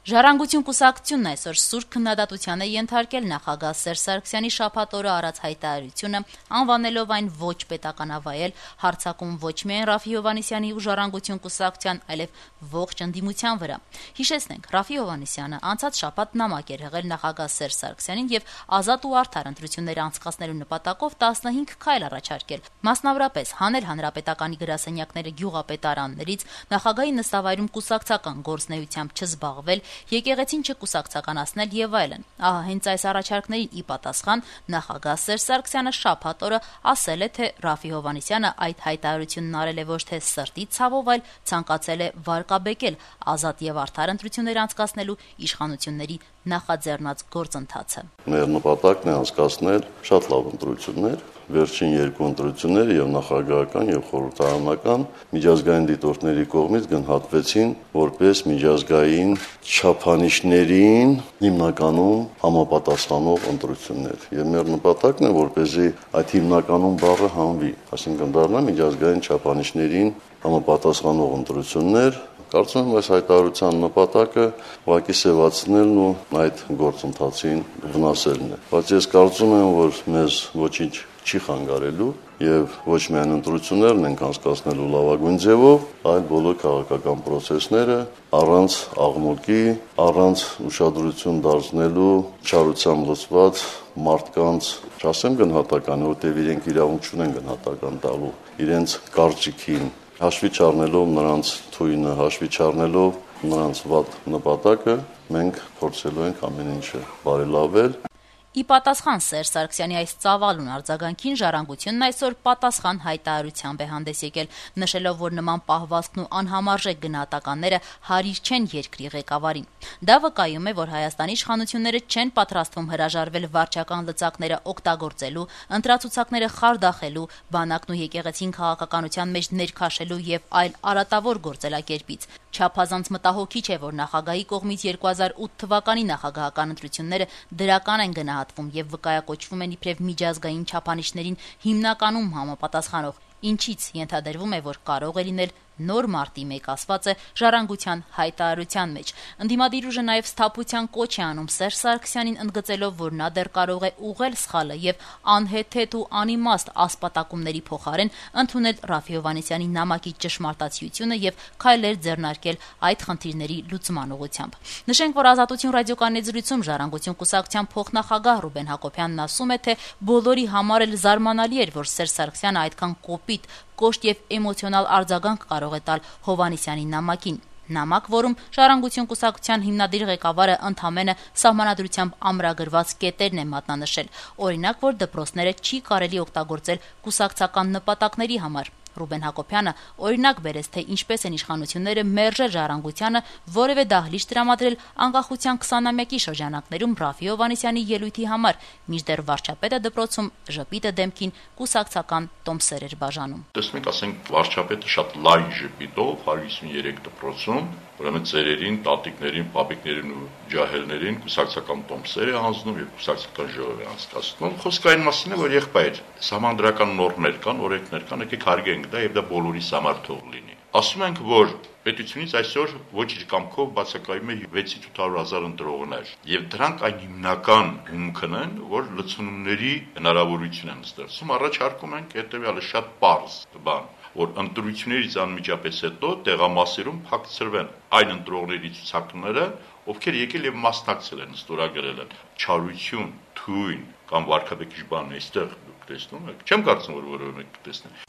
Ժառանգություն կուսակցությունն այսօր սուրբ քննադատության է ենթարկել նախագահ Սերժ Սարգսյանի շաբաթ օրը արած հայտարարությունը, անվանելով այն ոչ պետականավայել, հարձակում ոչ միայն Ռաֆֆի Հովհաննիսյանի ու Ժառանգություն կուսակցության, այլև ողջ ընդդիմության վրա։ Հիշեցնենք, Ռաֆֆի Հովհաննիսյանը անցած շաբաթ նամակ էր եղել նախագահ Սերժ Սարգսյանին եւ ազատ ու արդար ընտրություններ անցկացնելու նպատակով 15 քայլ առաջարկել, մասնավորապես հանել հանրապետականի գրասենյակները գյուղապետարաններից, նախագահի նստավայրում կուսակցական գործունեությամբ չզբաղվել, եկեղեցին չկուսակցականացնել եւ այլն։ Ահա հենց այս առաջարկներին ի պատասխան նախագահ Սերժ Սարգսյանը շաբաթ օրը ասել է, թե Ռաֆֆի Հովհաննիսյանը այդ հայտարարությունն արել է ոչ թե սրտի ցավով, այլ ցանկացել է վարկաբեկել ազատ եւ արդար ընտրություններ անցկացնելու իշխանությունների նախաձեռնած գործընթացը։ Մեր նպատակն է անցկացնել շատ լավ ընտրություններ, վերջին երկու ընտրությունները եւ նախագահական եւ խորհրդարանական միջազգային դիտորդների կողմից գնահատվեցին որպես միջազգային չափանիշներին հիմնականում համապատասխանող ընտրություններ։ Եվ մեր նպատակն է, որպեսզի այդ հիմնականում բառը հանվի, այսինքն դառնա միջազգային չափանիշներին համապատասխանող ընտրություններ։ Կարծում եմ, այս հայտարարության նպատակը ուղղակի սևացնելն ու այդ գործընթացին վնասելն է։ Բայց ես կարծում եմ, որ մեզ ոչինչ չի խանգարելու եւ ոչ միայն ընտրություններն ենք անցկացնելու լավագույն ձևով, այլ բոլոր քաղաքական process-ները առանց աղմուկի, առանց ուշադրություն դարձնելու չարությամբ լցված մարդկանց, չասեմ գնահատական, որտեղ իրենք իրավունք չունեն գնահատական տալու իրենց կարծիքին, հաշվի չառնելով նրանց թույնը, հաշվի չառնելով նրանց վատ նպատակը, մենք փորձելու ենք ամեն ինչը բարելավել։ Ի պատասխան Սերժ Սարգսյանի այս ծավալուն արձագանքին Ժառանգությունն այսօր պատասխան հայտարարությամբ է հանդես եկել, նշելով, որ նման պահվածքն ու անհամարժեք գնահատականները հարիր չեն երկրի ղեկավարին։ Դա վկայում է, որ Հայաստանի իշխանությունները չեն պատրաստվում հրաժարվել վարչական լծակները օգտագործելու, ընտրացուցակները խարդախելու, բանակն ու եկեղեցին քաղաքականության մեջ ներքաշելու եւ այլ արատավոր գործելակերպից։ Չափազանց մտահոգիչ է, որ նախագահի կողմից 2008 թվականի նախագահական ընտրությունները դրական են գնահատվում եւ վկայակոչվում են իբրև միջազգային չափանիշներին հիմնականում համապատասխանող, ինչից ենթադրվում է, որ կարող է լինել նոր մարտի մեկ ասված է Ժառանգության հայտարարության մեջ։ Ընդդիմադիր ուժը նաև սթափության կոչ է անում Սերժ Սարգսյանին, ընդգծելով, որ նա դեռ կարող է ուղղել սխալը եւ անհեթեթ ու անիմաստ ասպատակումների փոխարեն ընդունել Ռաֆֆի Հովհաննիսյանի նամակի ճշմարտացիությունը եւ քայլեր ձեռնարկել այդ խնդիրների լուծման ուղղությամբ։ Նշենք, որ Ազատություն ռադիոկայանի զրույցում Ժառանգություն կուսակցության փոխնախագահ Ռուբեն Հակոբյանն ասում է, թե բոլորի համար էլ զարմանալի էր, որ Սերժ Սարգսյանը այդքան կոպիտ, կոշտ եւ էմոցիոնալ արձագանք կարող է տալ Հովհաննիսյանի նամակին։ Նամակ, որում Ժառանգություն կուսակցության հիմնադիր ղեկավարը ընդամենը սահմանադրությամբ ամրագրված կետերն է մատնանշել։ Օրինակ, որ դպրոցները չի կարելի օգտագործել կուսակցական նպատակների համար։ Ռուբեն Հակոբյանը օրինակ բերեց, թե ինչպես են իշխանությունները մերժել Ժառանգությանը որևէ դահլիճ տրամադրել անկախության 20-ամյակի շրջանակներում Ռաֆֆի Հովհաննիսյանի ելույթի համար, մինչդեռ վարչապետը դպրոցում ժպիտը դեմքին կուսակցական տոմսեր էր բաժանում։ Տեսնենք, ասենք վարչապետը շատ լայն ժպիտով 153 դպրոցում, ուրեմն ծերերին, տատիկներին, պապիկներին ու ջահելներին կուսակցական տոմսեր է հանձնում եւ կուսակցական ժողով է անցկացնում։ Խոսքը այն մասին է, որ եղբայր համանդրական նորմեր կան, օրենքներ կան, եկեք հարգենք դա եւ դա բոլորիս համար թող լինի։ Ասում ենք, որ պետությունից այսօր ոչ իր կամքով բացակայում է 6-800,000 ընտրողներ եւ դրանք այն հիմնական հումքն են, որ լցոնումների հնարավորություն են ստեղծում։ Առաջարկում ենք հետեւյալը շատ պարզ բան, որ ընտրություններից անմիջապես հետո տեղամասերում փակցրվեն այն ընտրողների ցուցակները, ովքեր եկել եւ մասնակցել են, ստորագրել են չարություն, թույն կամ վարկաբեկիչ բան այստեղ դուք տեսնում եք։ Չեմ կարծում, որ որևէ մեկ տեսնի։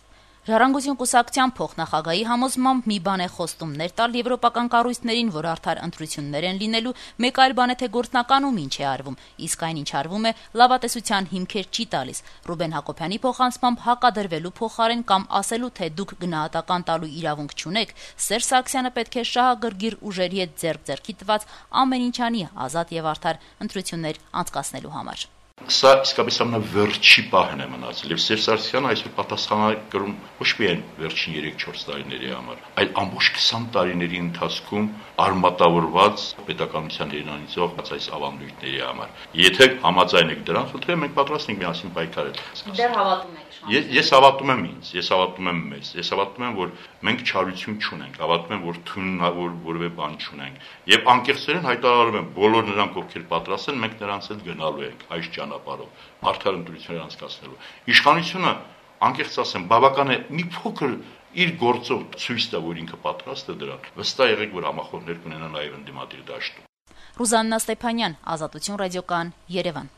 Ժառանգություն կուսակցության փոխնախագահի համոզմամբ մի բան է խոստումներ տալ եվրոպական կառույցներին, որ արդար ընտրություններ են լինելու, մեկ այլ բան է, թե գործնականում ինչ է արվում, իսկ այն ինչ արվում է, լավատեսության հիմքեր չի տալիս։ Ռուբեն Հակոբյանի փոխանցմամբ հակադրվելու փոխարեն կամ ասելու, թե դուք գնահատական տալու իրավունք չունեք, Սերժ Սարգսյանը պետք է շահագրգիռ ուժերի հետ ձեռք-ձեռքի տված ամեն ինչ անի ազատ եւ արդար ընտրություններ անցկացնելու համար։ սա իսկապես ամենավերջի պահն է մնացել եւ Սերժ Սարգսյանը այսօր պատասխանատու է կրում ոչ միայն վերջին 3-4 տարիների համար, այլ ամբողջ 20 տարիների ընթացքում արմատավորված պետականության հերանիցող այս ավանդույթների համար։ Եթե համաձայն եք դրան, խնդրեմ մենք պատրաստ ենք միասին պայքարել։ Դեռ հավատում եք։ Ես հավատում եմ ինձ, ես հավատում եմ մեզ, ես հավատում եմ, որ մենք չարություն չունենք, հավատում եմ, որ թունավոր որևէ բան չունենք։ Եվ անկեղծորեն հայտարարում եմ, բոլոր նրանք, ովքեր պատրաստ են, մենք նրանց հետ գնալու ենք այս ճանապարհով, արդար ընտրություններ անցկացնելու։ Իշխանությունը, անկեղծ ասեմ, բավական է մի փոքր իր գործով ցույց տա, որ ինքը պատրաստ է դրան։ Վստահ եղեք, որ համախոհներ կունենա նաև ընդդիմադիր դաշտում։ Ռուզաննա Ստեփանյան, Ազատություն ռադիոկայան, Երևան։